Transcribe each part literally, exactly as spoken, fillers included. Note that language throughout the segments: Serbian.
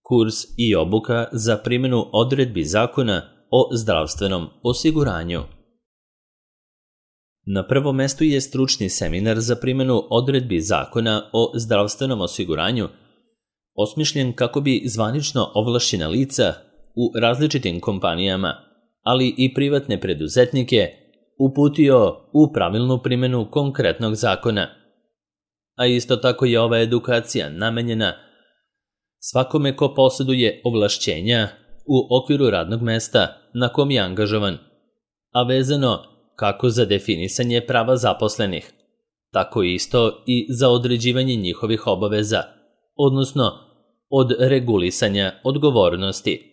kurs i obuka za primjenu odredbi Zakona o zdravstvenom osiguranju. Na prvom mestu je stručni seminar za primjenu odredbi Zakona o zdravstvenom osiguranju, osmišljen kako bi zvanično ovlašćena lica u različitim kompanijama, ali i privatne preduzetnike, uputio u pravilnu primjenu konkretnog zakona. A isto tako je ova edukacija namenjena svakome ko posjeduje ovlašćenja u okviru radnog mesta na kom je angažovan, a vezano kako za definisanje prava zaposlenih, tako isto i za određivanje njihovih obaveza, odnosno od regulisanja odgovornosti.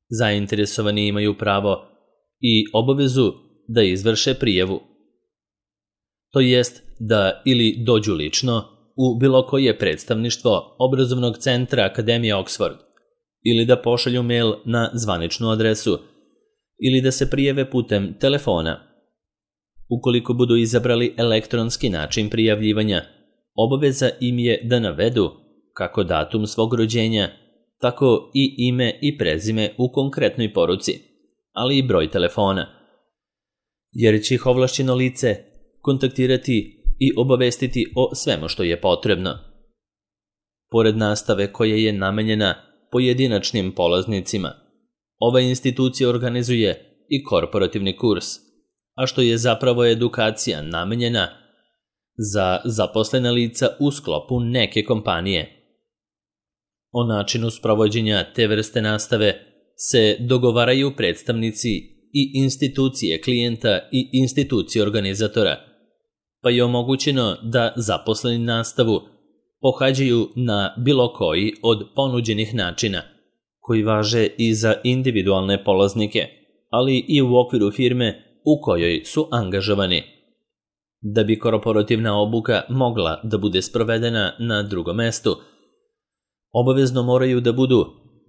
Zainteresovani imaju pravo i obavezu da izvrše prijavu, to jest da ili dođu lično u bilo koje predstavništvo obrazovnog centra Akademije Oxford, ili da pošalju mail na zvaničnu adresu, ili da se prijave putem telefona. Ukoliko budu izabrali elektronski način prijavljivanja, obaveza im je da navedu kako datum svog rođenja, tako i ime i prezime u konkretnoj poruci, ali i broj telefona, jer će ih ovlašćeno lice kontaktirati i obavestiti o svemu što je potrebno. Pored nastave koja je namenjena pojedinačnim polaznicima, ova institucija organizuje i korporativni kurs, a što je zapravo edukacija namenjena za zaposlena lica u sklopu neke kompanije. O načinu sprovođenja te vrste nastave se dogovaraju predstavnici i institucije klijenta i institucije organizatora, pa je omogućeno da zaposleni nastavu pohađaju na bilo koji od ponuđenih načina, koji važe i za individualne polaznike, ali i u okviru firme u kojoj su angažovani. Da bi korporativna obuka mogla da bude sprovedena na drugom mestu, obavezno moraju da budu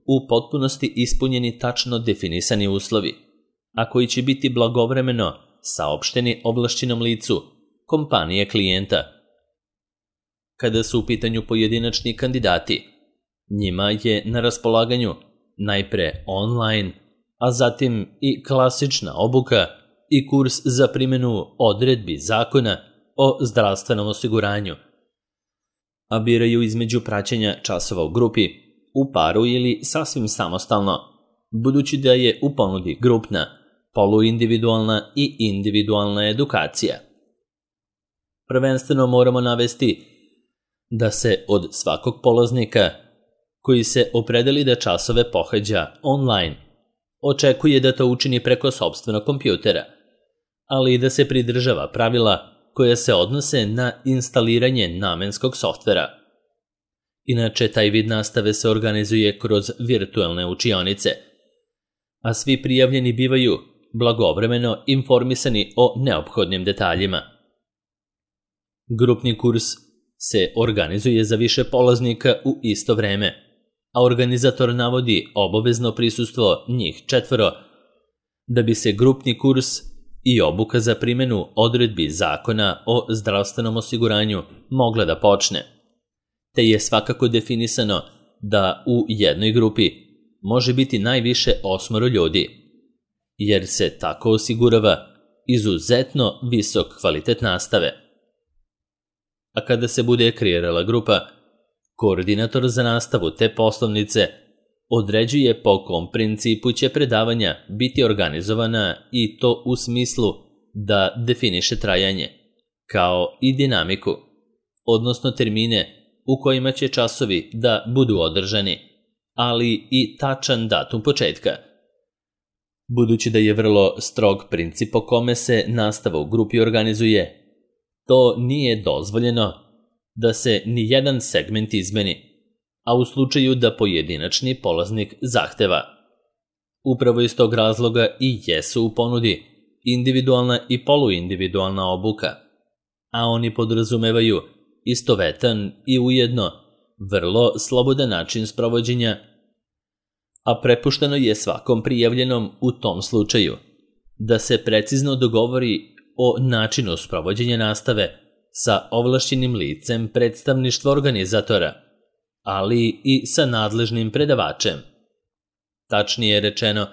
u potpunosti ispunjeni tačno definisani uslovi, a koji će biti blagovremeno saopšteni ovlašćenom licu kompanije klijenta. Kada su u pitanju pojedinačni kandidati, njima je na raspolaganju najpre online, a zatim i klasična obuka i kurs za primjenu odredbi Zakona o zdravstvenom osiguranju, a biraju između praćenja časova u grupi, u paru ili sasvim samostalno, budući da je u ponudi grupna, poluindividualna i individualna edukacija. Prvenstveno moramo navesti da se od svakog polaznika koji se opredeli da časove pohađa online očekuje da to učini preko sopstvenog kompjutera, ali i da se pridržava pravila koja se odnose na instaliranje namenskog softvera. Inače, taj vid nastave se organizuje kroz virtuelne učionice, a svi prijavljeni bivaju blagovremeno informisani o neophodnim detaljima. Grupni kurs se organizuje za više polaznika u isto vreme, a organizator navodi obavezno prisustvo njih četvoro, da bi se grupni kurs i obuka za primjenu odredbi Zakona o zdravstvenom osiguranju mogla da počne, te je svakako definisano da u jednoj grupi može biti najviše osmoro ljudi, jer se tako osigurava izuzetno visok kvalitet nastave. A kada se bude kreirala grupa, koordinator za nastavu te poslovnice određuje po kom principu će predavanja biti organizovana i to u smislu da definiše trajanje, kao i dinamiku, odnosno termine u kojima će časovi da budu održani, ali i tačan datum početka. Budući da je vrlo strog princip po kome se nastava u grupi organizuje, to nije dozvoljeno da se ni jedan segment izmeni, a u slučaju da pojedinačni polaznik zahteva. Upravo iz tog razloga i jesu u ponudi individualna i poluindividualna obuka, a oni podrazumevaju istovetan i ujedno vrlo slobodan način sprovođenja, a prepušteno je svakom prijavljenom u tom slučaju da se precizno dogovori o načinu sprovođenja nastave sa ovlašćenim licem predstavništva organizatora, ali i sa nadležnim predavačem. Tačnije rečeno,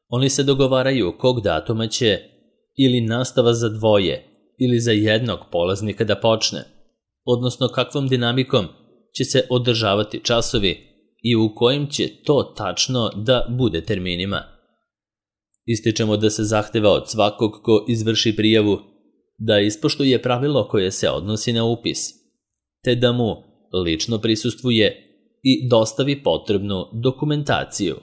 oni se dogovaraju kog datuma će ili nastava za dvoje ili za jednog polaznika da počne, odnosno kakvom dinamikom će se održavati časovi i u kojim će to tačno da bude terminima. Ističemo da se zahteva od svakog ko izvrši prijavu da ispoštuje pravilo koje se odnosi na upis, te da mu lično prisustvuje i dostavi potrebnu dokumentaciju.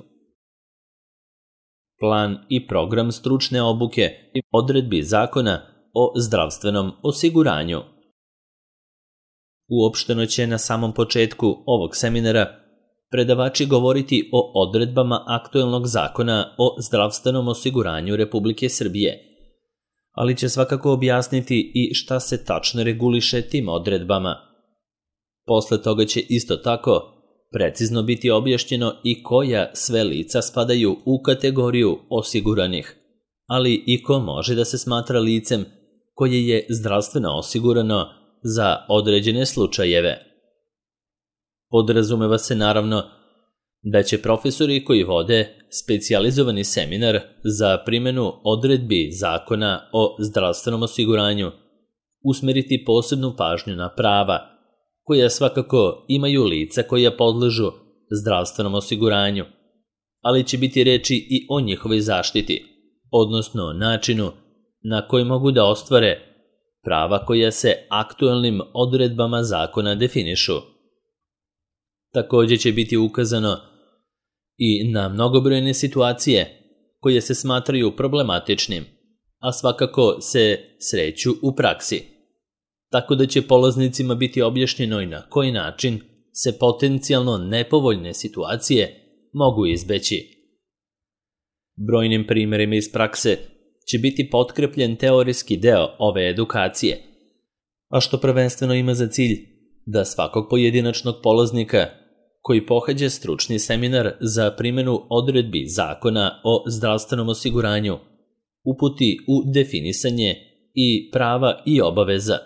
Plan i program stručne obuke i odredbi zakona o zdravstvenom osiguranju. Uopšteno će na samom početku ovog seminara predavači govoriti o odredbama aktuelnog zakona o zdravstvenom osiguranju Republike Srbije, ali će svakako objasniti i šta se tačno reguliše tim odredbama. Posle toga će isto tako precizno biti objašnjeno i koja sve lica spadaju u kategoriju osiguranih, ali i ko može da se smatra licem koje je zdravstveno osigurano za određene slučajeve. Podrazumeva se naravno da će profesori koji vode specijalizovani seminar za primjenu odredbi zakona o zdravstvenom osiguranju usmeriti posebnu pažnju na prava koja svakako imaju lica koja podležu zdravstvenom osiguranju, ali će biti reči i o njihovoj zaštiti, odnosno načinu na koji mogu da ostvare prava koja se aktuelnim odredbama zakona definišu. Također će biti ukazano i na mnogobrojne situacije koje se smatraju problematičnim, a svakako se sreću u praksi, tako da će polaznicima biti objašnjeno i na koji način se potencijalno nepovoljne situacije mogu izbeći. Brojnim primjerima iz prakse će biti potkrepljen teorijski deo ove edukacije, a što prvenstveno ima za cilj da svakog pojedinačnog polaznika koji pohađa stručni seminar za primjenu odredbi zakona o zdravstvenom osiguranju uputi u definisanje i prava i obaveza,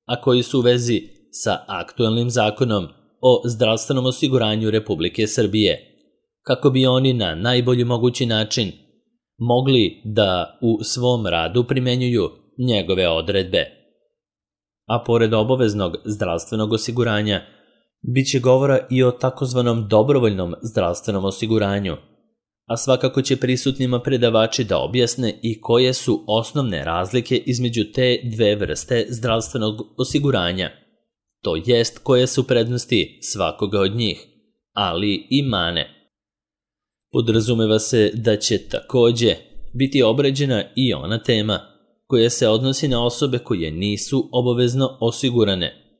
a koji su u vezi sa aktuelnim zakonom o zdravstvenom osiguranju Republike Srbije, kako bi oni na najbolji mogući način mogli da u svom radu primenjuju njegove odredbe. A pored obaveznog zdravstvenog osiguranja, bit će govora i o takozvanom dobrovoljnom zdravstvenom osiguranju, a svakako će prisutnima predavači da objasne i koje su osnovne razlike između te dve vrste zdravstvenog osiguranja, to jest koje su prednosti svakoga od njih, ali i mane. Podrazumeva se da će također biti obrađena i ona tema koja se odnosi na osobe koje nisu obavezno osigurane,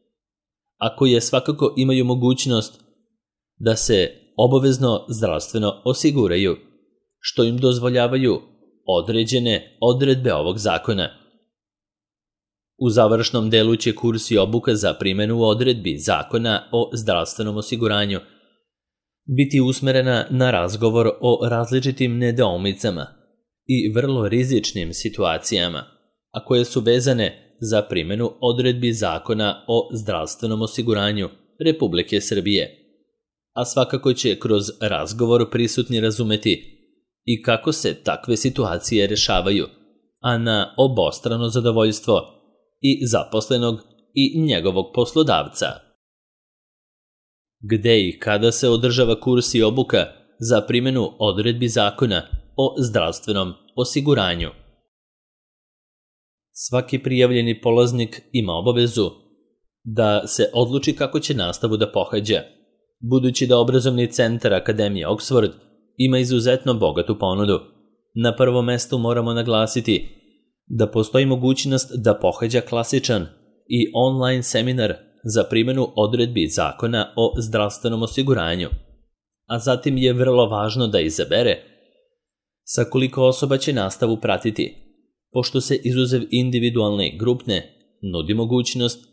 a koje svakako imaju mogućnost da se obavezno zdravstveno osiguraju, što im dozvoljavaju određene odredbe ovog zakona. U završnom delu će kurs i obuka za primjenu odredbi zakona o zdravstvenom osiguranju biti usmerena na razgovor o različitim nedoumicama i vrlo rizičnim situacijama, a koje su vezane za primjenu odredbi zakona o zdravstvenom osiguranju Republike Srbije. A svakako će kroz razgovor prisutni razumeti i kako se takve situacije rešavaju, a na obostrano zadovoljstvo i zaposlenog i njegovog poslodavca. Gde i kada se održava kurs i obuka za primjenu odredbi zakona o zdravstvenom osiguranju? Svaki prijavljeni polaznik ima obavezu da se odluči kako će nastavu da pohađa, budući da obrazovni centar Akademije Oxford ima izuzetno bogatu ponudu. Na prvom mestu moramo naglasiti da postoji mogućnost da pohađa klasičan i online seminar za primjenu odredbi zakona o zdravstvenom osiguranju, a zatim je vrlo važno da izabere sa koliko osoba će nastavu pratiti, pošto se izuzev individualne i grupne nudi mogućnost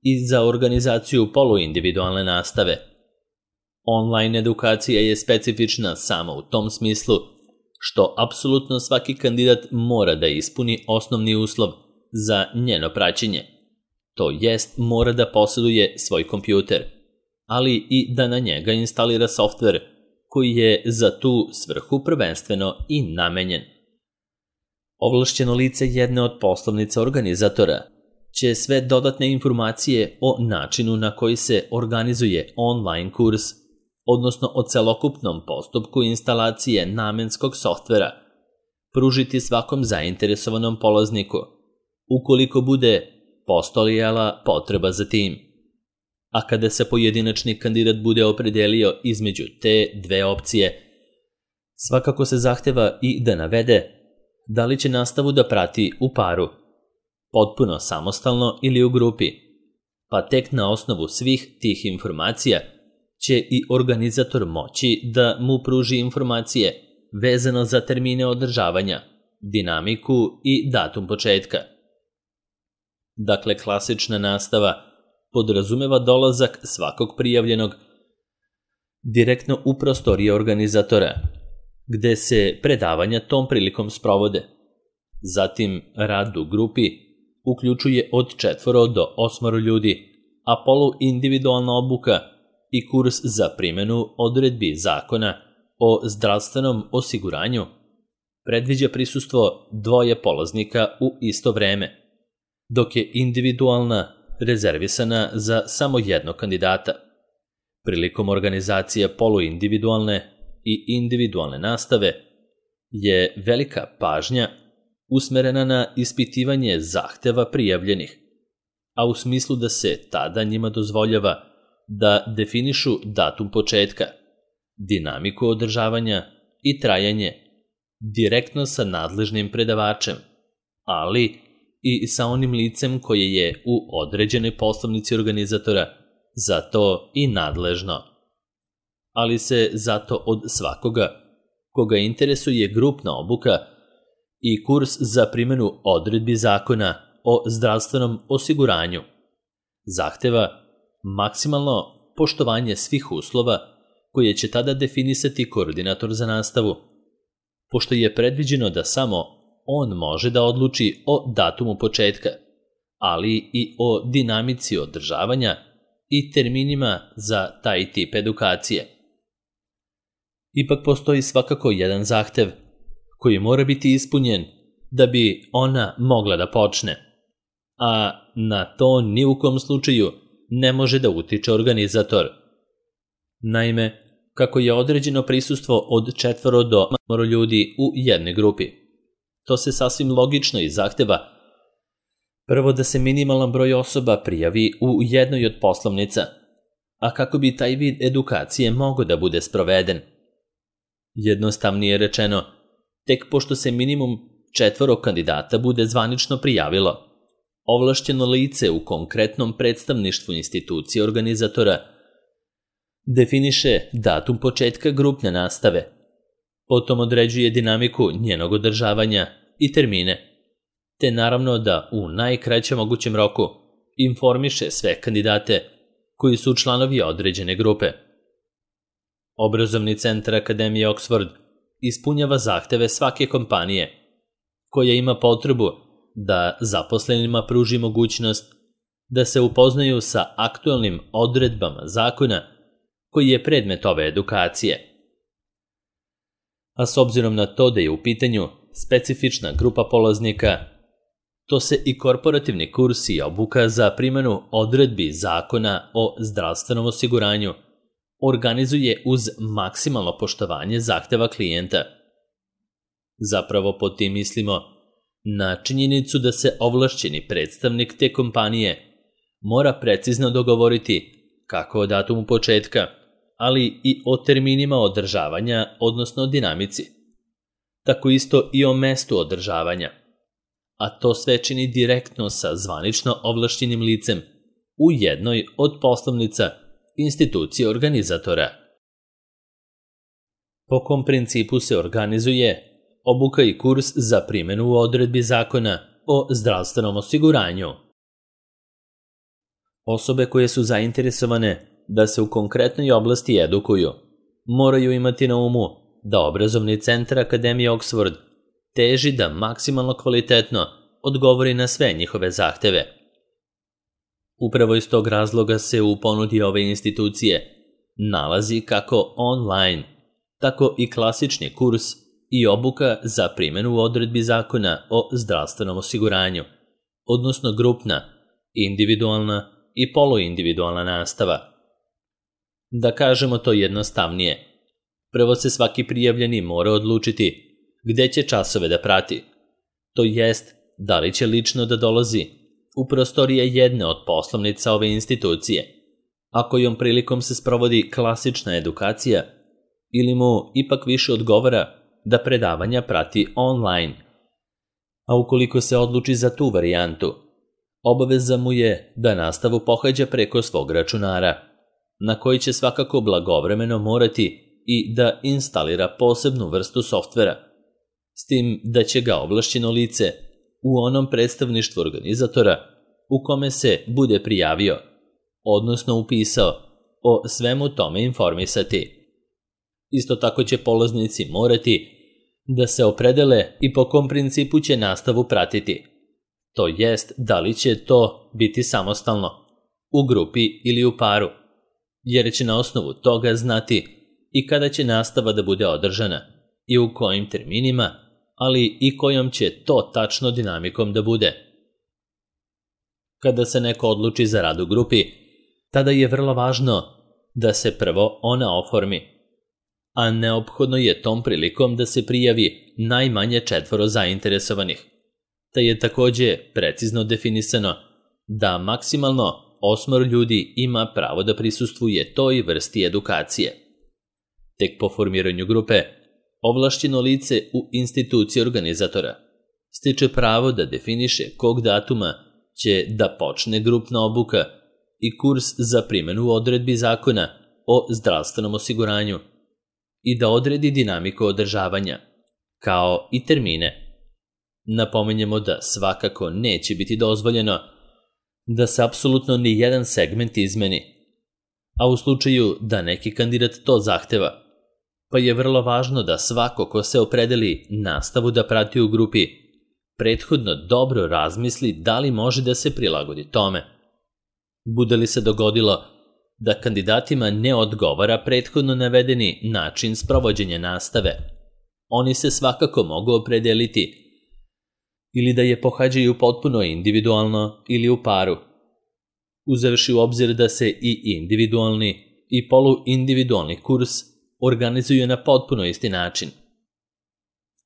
i za organizaciju poluindividualne nastave. Online edukacija je specifična samo u tom smislu što apsolutno svaki kandidat mora da ispuni osnovni uslov za njeno praćenje, to jest mora da posjeduje svoj kompjuter, ali i da na njega instalira softver koji je za tu svrhu prvenstveno i namenjen. Ovlašćeno lice jedne od poslovnica organizatora će sve dodatne informacije o načinu na koji se organizuje online kurs, odnosno o celokupnom postupku instalacije namenskog softvera, pružiti svakom zainteresovanom polazniku, ukoliko bude postojala potreba za tim. A kada se pojedinačni kandidat bude opredelio između te dve opcije, svakako se zahteva i da navede da li će nastavu da prati u paru, potpuno samostalno ili u grupi, pa tek na osnovu svih tih informacija će i organizator moći da mu pruži informacije vezano za termine održavanja, dinamiku i datum početka. Dakle, klasična nastava podrazumeva dolazak svakog prijavljenog direktno u prostorije organizatora, gde se predavanja tom prilikom sprovode. Zatim, rad u grupi uključuje od četvoro do osmoro ljudi, a poluindividualna obuka i kurs za primjenu odredbi zakona o zdravstvenom osiguranju predviđa prisustvo dvoje polaznika u isto vreme, dok je individualna rezervisana za samo jednog kandidata. Prilikom organizacije poluindividualne i individualne nastave je velika pažnja usmerena na ispitivanje zahteva prijavljenih, a u smislu da se tada njima dozvoljava da definišu datum početka, dinamiku održavanja i trajanje direktno sa nadležnim predavačem, ali i sa onim licem koje je u određenoj poslovnici organizatora za to i nadležno. Ali se zato od svakoga koga interesuje grupna obuka i kurs za primjenu odredbi zakona o zdravstvenom osiguranju zahteva maksimalno poštovanje svih uslova koje će tada definisati koordinator za nastavu, pošto je predviđeno da samo on može da odluči o datumu početka, ali i o dinamici održavanja i terminima za taj tip edukacije. Ipak postoji svakako jedan zahtev koji mora biti ispunjen da bi ona mogla da počne, a na to ni u kom slučaju ne može da utiče organizator. Naime, kako je određeno prisustvo od četvoro do osmoro ljudi u jednoj grupi, to se sasvim logično i zahteva prvo da se minimalan broj osoba prijavi u jednoj od poslovnica, a kako bi taj vid edukacije mogao da bude sproveden. Jednostavnije rečeno, tek pošto se minimum četvoro kandidata bude zvanično prijavilo, ovlašćeno lice u konkretnom predstavništvu institucije organizatora definiše datum početka grupne nastave, potom određuje dinamiku njenog održavanja i termine, te naravno da u najkraćem mogućem roku informiše sve kandidate koji su članovi određene grupe. Obrazovni centar Akademije Oxford ispunjava zahteve svake kompanije koja ima potrebu da zaposlenima pruži mogućnost da se upoznaju sa aktualnim odredbama zakona koji je predmet ove edukacije. A s obzirom na to da je u pitanju specifična grupa polaznika, to se i korporativni kurs i obuka za primjenu odredbi zakona o zdravstvenom osiguranju organizuje uz maksimalno poštovanje zahteva klijenta. Zapravo pod tim mislimo na činjenicu da se ovlašćeni predstavnik te kompanije mora precizno dogovoriti kako o datumu početka, ali i o terminima održavanja, odnosno dinamici. Tako isto i o mestu održavanja, a to sve čini direktno sa zvanično ovlašćenim licem u jednoj od poslovnica institucije organizatora. Po kom principu se organizuje obuka i kurs za primjenu odredbi zakona o zdravstvenom osiguranju? Osobe koje su zainteresovane da se u konkretnoj oblasti edukuju moraju imati na umu da obrazovni centar Akademije Oxford teži da maksimalno kvalitetno odgovori na sve njihove zahteve. Upravo iz tog razloga se u ponudi ove institucije nalazi kako online, tako i klasični kurs i obuka za primjenu odredbi zakona o zdravstvenom osiguranju, odnosno grupna, individualna i poluindividualna nastava. Da kažemo to jednostavnije, prvo se svaki prijavljeni mora odlučiti gde će časove da prati, to jest da li će lično da dolazi u prostorije jedne od poslovnica ove institucije, a kojom prilikom se sprovodi klasična edukacija, ili mu ipak više odgovara da predavanja prati online. A ukoliko se odluči za tu varijantu, obaveza mu je da nastavu pohađa preko svog računara, na koji će svakako blagovremeno morati i da instalira posebnu vrstu softvera, s tim da će ga ovlašćeno lice u onom predstavništvu organizatora u kome se bude prijavio, odnosno upisao, o svemu tome informisati. Isto tako će polaznici morati da se opredele i po kom principu će nastavu pratiti, to jest da li će to biti samostalno, u grupi ili u paru, jer će na osnovu toga znati i kada će nastava da bude održana i u kojim terminima, ali i kojom će to tačno dinamikom da bude. Kada se neko odluči za rad u grupi, tada je vrlo važno da se prvo ona oformi, a neophodno je tom prilikom da se prijavi najmanje četvoro zainteresovanih, te je takođe precizno definisano da maksimalno osmoro ljudi ima pravo da prisustvuje toj vrsti edukacije. Tek po formiranju grupe, ovlašćeno lice u instituciji organizatora stiče pravo da definiše kog datuma će da počne grupna obuka i kurs za primjenu odredbi zakona o zdravstvenom osiguranju i da odredi dinamiku održavanja, kao i termine. Napominjemo da svakako neće biti dozvoljeno da se apsolutno ni jedan segment izmeni, a u slučaju da neki kandidat to zahteva, pa je vrlo važno da svako ko se opredeli nastavu da prati u grupi prethodno dobro razmisli da li može da se prilagodi tome. Bude li se dogodilo da kandidatima ne odgovara prethodno navedeni način sprovođenja nastave, oni se svakako mogu opredeliti ili da je pohađaju potpuno individualno ili u paru, uzevši u obzir da se i individualni i poluindividualni kurs organizuju na potpuno isti način.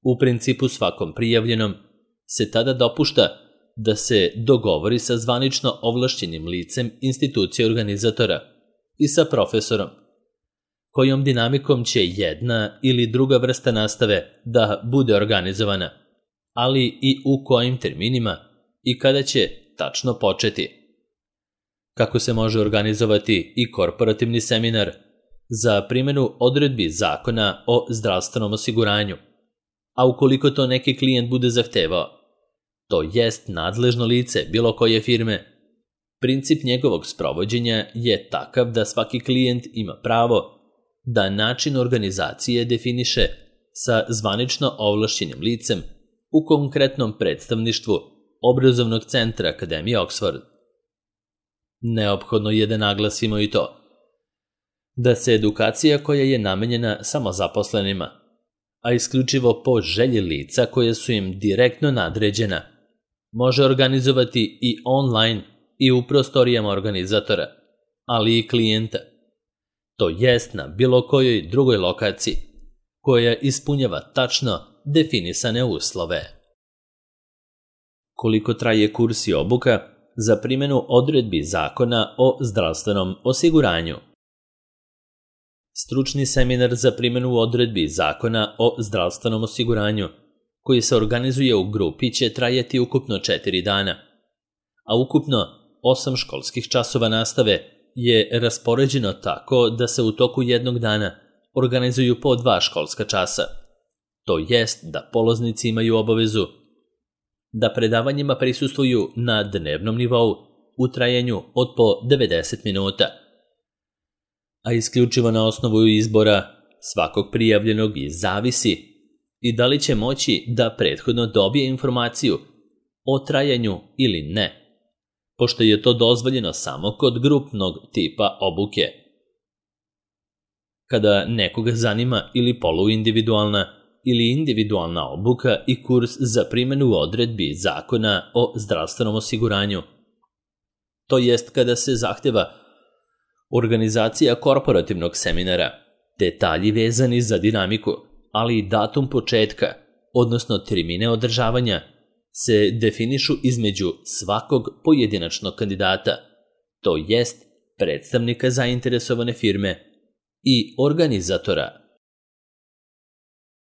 U principu svakom prijavljenom se tada dopušta da se dogovori sa zvanično ovlašćenim licem institucije organizatora i sa profesorom, kojom dinamikom će jedna ili druga vrsta nastave da bude organizovana, ali i u kojim terminima i kada će tačno početi. Kako se može organizovati i korporativni seminar za primjenu odredbi zakona o zdravstvenom osiguranju, a ukoliko to neki klijent bude zahtevao, to jest nadležno lice bilo koje firme, princip njegovog sprovođenja je takav da svaki klijent ima pravo da način organizacije definiše sa zvanično ovlašćenim licem u konkretnom predstavništvu obrazovnog centra Akademije Oxford. Neophodno je da naglasimo i to da se edukacija koja je namenjena samo zaposlenima, a isključivo po želji lica koje su im direktno nadređena, može organizovati i online i u prostorijama organizatora, ali i klijenta, to jest na bilo kojoj drugoj lokaciji koja ispunjava tačno definisane uslove. Koliko traje kurs i obuka za primjenu odredbi zakona o zdravstvenom osiguranju? Stručni seminar za primjenu odredbi zakona o zdravstvenom osiguranju, koji se organizuje u grupi, će trajati ukupno četiri dana, a ukupno osam školskih časova nastave je raspoređeno tako da se u toku jednog dana organizuju po dva školska časa, to jest da polaznici imaju obavezu da predavanjima prisustvuju na dnevnom nivou u trajanju od po devedeset minuta, a isključivo na osnovu izbora svakog prijavljenog i zavisi i da li će moći da prethodno dobije informaciju o trajanju ili ne, pošto je to dozvoljeno samo kod grupnog tipa obuke. Kada nekoga zanima ili poluindividualna ili individualna obuka i kurs za primjenu odredbi Zakona o zdravstvenom osiguranju. To jest kada se zahteva organizacija korporativnog seminara, detalji vezani za dinamiku, ali i datum početka, odnosno termine održavanja, se definišu između svakog pojedinačnog kandidata, to jest predstavnika zainteresovane firme i organizatora